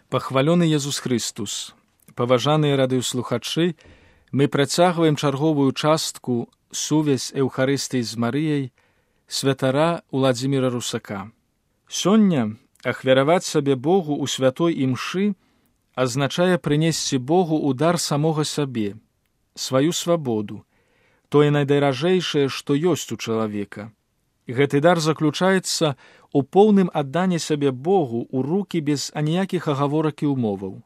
Пахвалёны Езус Христус! Паважаныя радыёслухачы, мы працягваем чарговую частку сувязь Эўхарыстыі з Марыяй святара Уладзіміра Русака. Сёння ахвяраваць сабе Богу ў святой імшы азначае прынесці Богу ў дар самога сабе, сваю свабоду, тое найдаражэйшае, што ёсць у чалавека. Гэты дар заключаецца у поўным адданні сабе Богу ў рукі без аніякіх агаворак і ўмоваў.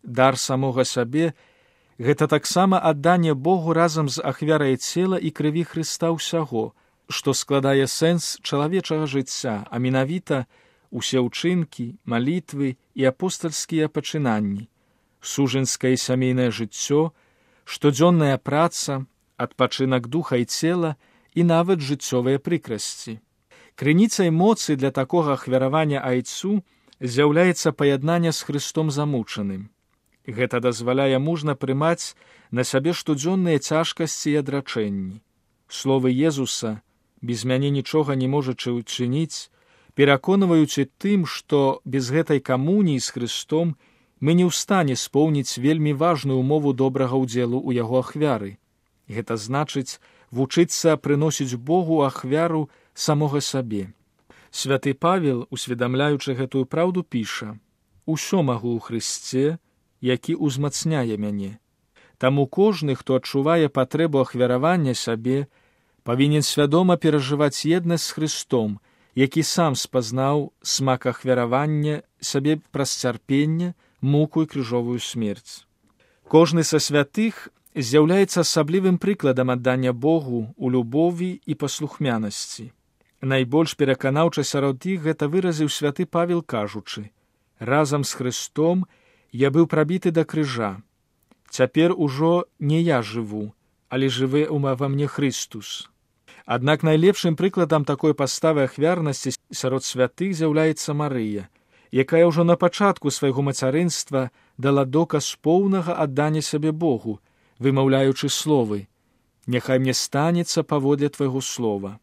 Дар самога сабе – гэта таксама адданне Богу разам з ахвярай цела і крыві Хрыста ўсяго, што складае сэнс чалавечага жыцця, а менавіта усе ўчынкі, малітвы і апостальскія пачынанні, сужанскае і сямейнае жыццё, штодзённая праца, адпачынак духа і цела і нават жыццёвыя прыкрасці. Крыніцай моцы для такога ахвяравання айцу з'яўляецца паяднанне з Хрыстом замучаным. Гэта дазваляе мужна прымаць на сябе штодзённыя цяжкасці і адрачэнні. Словы Езуса «без мяне нічога не можачы ўчыніць» пераконваюць і тым, што без гэтай камуніі з Хрыстом мы не ў стане споўніць вельмі важную умову добрага ўдзелу ў яго ахвяры. Гэта значыць вучыцца прыносіць Богу ахвяру самога сабе. Святы Павел, усведамляючы гэтую праўду, піша: «Усё магу ў Хрысце, які ўзмацняе мяне». Таму кожны, хто адчувае патрэбу ахвяравання сабе, павінен свядома перажываць еднасць з Хрыстом, які сам спазнаў смак ахвяравання сабе праз цярпенне, муку і крыжовую смерць. Кожны са святых з'яўляецца асаблівым прыкладам аддання Богу ў любові і паслухмянасці. Найбольш пераканаўча сярод іх гэта выразіў святы Павел, кажучы: «Разам з Хрыстом я быў прабіты да крыжа. Цяпер ужо не я жыву, але жыве ва мне Хрыстус». Аднак найлепшым прыкладам такой паставы ахвярнасці сярод святых з'яўляецца Марыя, якая ўжо на пачатку свайго мацярынства дала доказ поўнага аддання сабе Богу, вымаўляючы словы: «Няхай мне станецца паводле твайго слова».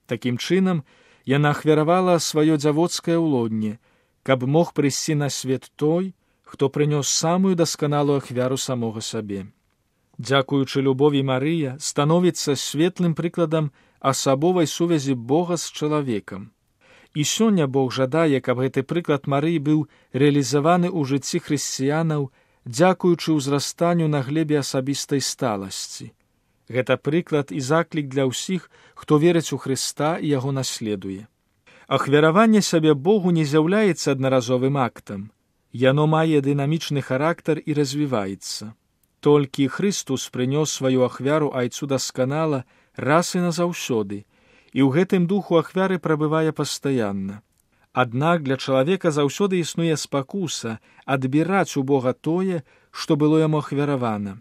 Такім чынам, яна ахвяравала сваё дзявоцкае ўлонне, каб мог прыйсці на свет той, хто прынёс самую дасканалую ахвяру самога сабе. Дзякуючы любові, Марыя становіцца светлым прыкладам асабовай сувязі Бога з чалавекам. І сёння Бог жадае, каб гэты прыклад Марыі быў рэалізаваны ў жыцці хрысціянаў, дзякуючы ўзрастанню на глебе асабістай сталасці. Гэта прыклад і заклік для ўсіх, хто верыць у Хрыста і яго наследуе. Ахвяраванне сабе Богу не з'яўляецца аднаразовым актам. Яно мае дынамічны характар і развіваецца. Толькі Хрыстус прынёс сваю ахвяру айцу дасканала раз і назаўсёды, і ў гэтым духу ахвяры прабывае пастаянна. Аднак для чалавека заўсёды існуе спакуса адбіраць у Бога тое, што было яму ахвяравана.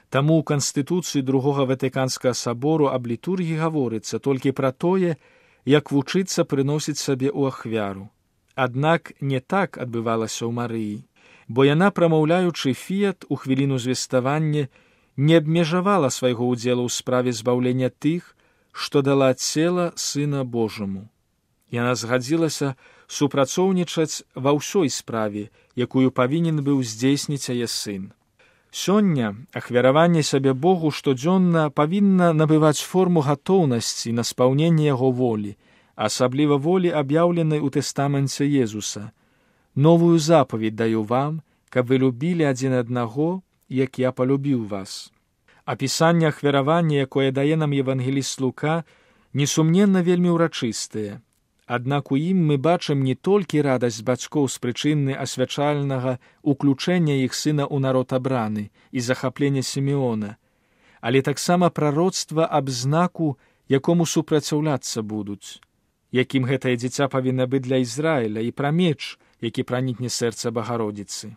Таму ў Канстытуцыі Другога Ватыканскага сабору аб літургіі гаворыцца толькі пра тое, як вучыцца прыносіць сабе ў ахвяру. Аднак не так адбывалася ў Марыі, бо яна, прамаўляючы фіят у хвіліну звеставання, не абмежавала свайго ўдзелу ў справе збаўлення тых, што дала цела Сына Божаму. Яна згадзілася супрацоўнічаць ва ўсёй справе, якую павінен быў здзейсніць яе сын. Сёння ахвяраванне сабе Богу штодзённа павінна набываць форму гатоўнасці на спаўненне яго волі, асабліва волі, аб'яўленай у тэстаменце Езуса. «Новую запаведь даю вам, каб вы любілі адзін аднаго, як я палюбіў вас». Апісанне ахвяравання, якое дае нам евангеліст Лука, несумненна вельмі ўрачыстае. Аднак у ім мы бачым не толькі радасць бацькоў з прычыны асвячальнага уключэння іх сына ў народ абраны і захаплення Сімеона, але таксама прароцтва аб знаку, якому супраціўляцца будуць, якім гэтае дзіця павінна быць для Ізраіля, і пра меч, які пранікне сэрца Багародзіцы.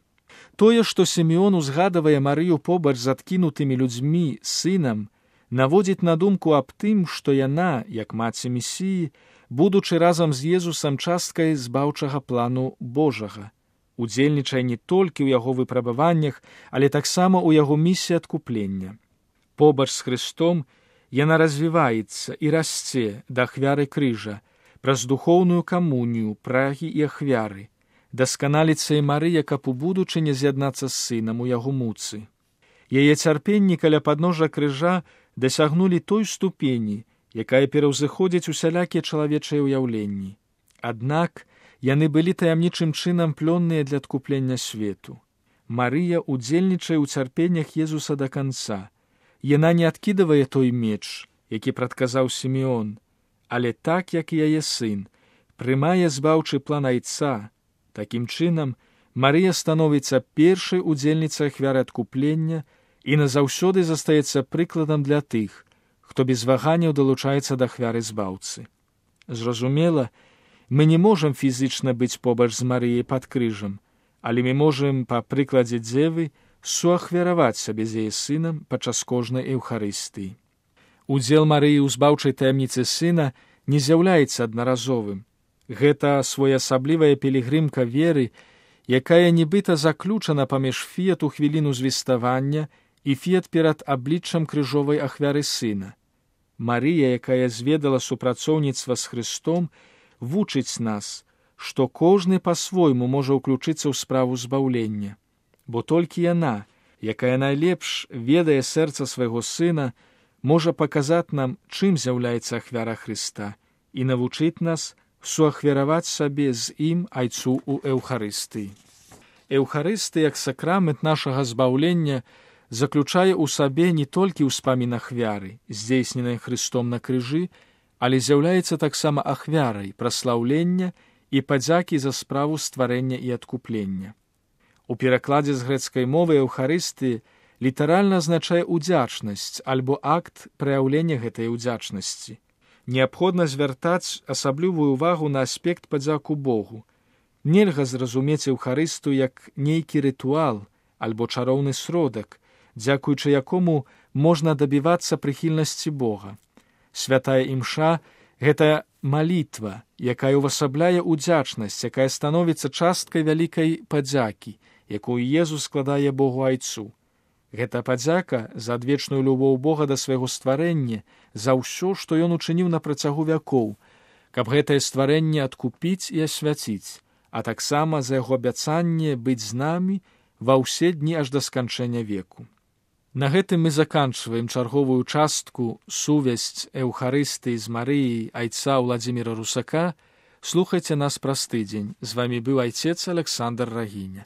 Тое, што Сімеон узгадвае Марыю побач з адкінутымі людзьмі сынам, наводзіць на думку аб тым, што яна, як маці Месіі, будучы разам з Езусам часткай збаўчага плану Божага, удзельнічае не толькі ў яго выпрабаваннях, але таксама ў яго місіі адкуплення. Побач з Хрыстом яна развіваецца і расце да ахвяры крыжа, праз духоўную камунію, прагі і ахвяры, дасканаліцца і Марыя, каб у будучыні з'яднацца з сынам у яго муцы. Яе цярпенні каля падножжа крыжа дасягнулі той ступені, якая пераўзыходзіць усялякія чалавечыя ўяўленні. Аднак яны былі таямнічым чынам плённыя для адкуплення свету. Марыя удзельнічае ў цярпеннях Езуса да канца. Яна не адкідывае той меч, які прадказаў Сімеон, але так, як і яе сын, прымае збаўчы план айца. Такім чынам, Марыя становіцца першай удзельніцай ахвяры адкуплення і назаўсёды застаецца прыкладам для тых, хто без ваганняў далучаецца да ахвяры збаўцы. Зразумела, мы не можам фізічна быць побач з Марыяй пад крыжам, але мы можам, па прыкладзе дзевы, суахвяраваць сабе з яе сынам падчас кожнай эўхарыстыі. Удзел Марыі ў збаўчай таямніцы сына не з'яўляецца аднаразовым. Гэта своеасаблівая пілігрымка веры, якая нібыта заключана паміж фіят у хвіліну звеставання і фіят перад абліччам крыжовай ахвяры сына. Марыя, якая зведала супрацоўніцтва з Хрыстом, вучыць нас, што кожны па-свойму можа ўключыцца ў справу збаўлення, бо толькі яна, якая найлепш ведае сэрца свайго сына, можа паказаць нам, чым з'яўляецца ахвяра Хрыста і навучыць нас суахвяраваць сабе з ім айцу ў эўхарыстыі. Эўхарыстыя, як сакрамент нашага збаўлення, заключае ў сабе не толькі ўспамін ахвяры, здзейсненай Хрыстом на крыжы, але з'яўляецца таксама ахвярай праслаўлення і падзякі за справу стварэння і адкуплення. У перакладзе з грэцкай мовы эўхарыстыі літаральна азначае ўдзячнасць альбо акт праяўлення гэтай ўдзячнасці. Неабходна звяртаць асаблівую ўвагу на аспект падзяку Богу. Нельга зразумець эўхарыстыю як нейкі рытуал альбо чароўны сродак, дзякуючы якому можна дабівацца прыхільнасці Бога. Святая імша – гэта малітва, якая ўвасабляе ўдзячнасць, якая становіцца часткай вялікай падзякі, якую Езус складае Богу айцу. Гэта падзяка за адвечную любоў Бога да свайго стварэння, за ўсё, што ён учыніў на працягу вякоў, каб гэтае стварэнне адкупіць і асвяціць, а таксама за яго абяцанне быць з намі ва ўсе дні аж да сканчэння веку. На гэтым мы заканчваем чарговую частку «Сувязь Эўхарыстыі з Марыяй айца Владзіміра Русака». Слухайце нас праз тыдзень. З вамі быў айцец Александр Рагіня.